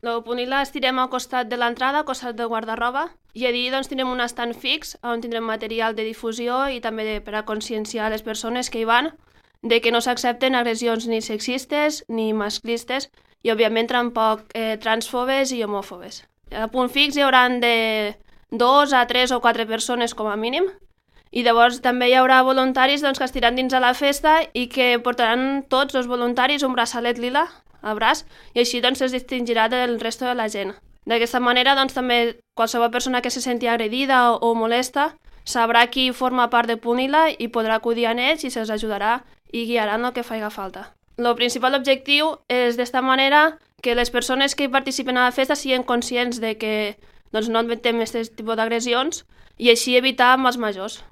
El Punil·la estirem al costat de l'entrada, al costat del guarda-roba, i allí doncs, tindrem un estand fix on tindrem material de difusió i també per a conscienciar les persones que hi van de que no s'accepten agressions ni sexistes ni masclistes i, òbviament, tampoc transfobes i homòfobes. A punt fix hi haurà de 2 a 3 o 4 persones com a mínim i llavors també hi haurà voluntaris doncs, que estiran dins a la festa i que portaran tots els voluntaris un braçalet lila al braç i així doncs, es distingirà del resto de la gent. D'aquesta manera doncs, també qualsevol persona que se senti agredida o molesta sabrà qui forma part de Punil·la i podrà acudir a ells i se'ls ajudarà i guiaran el que faci falta. El principal objectiu és d'esta manera que les persones que participen a la festa siguin conscients de que doncs, no admetem aquest tipus d'agressions i així evitar amb els majors.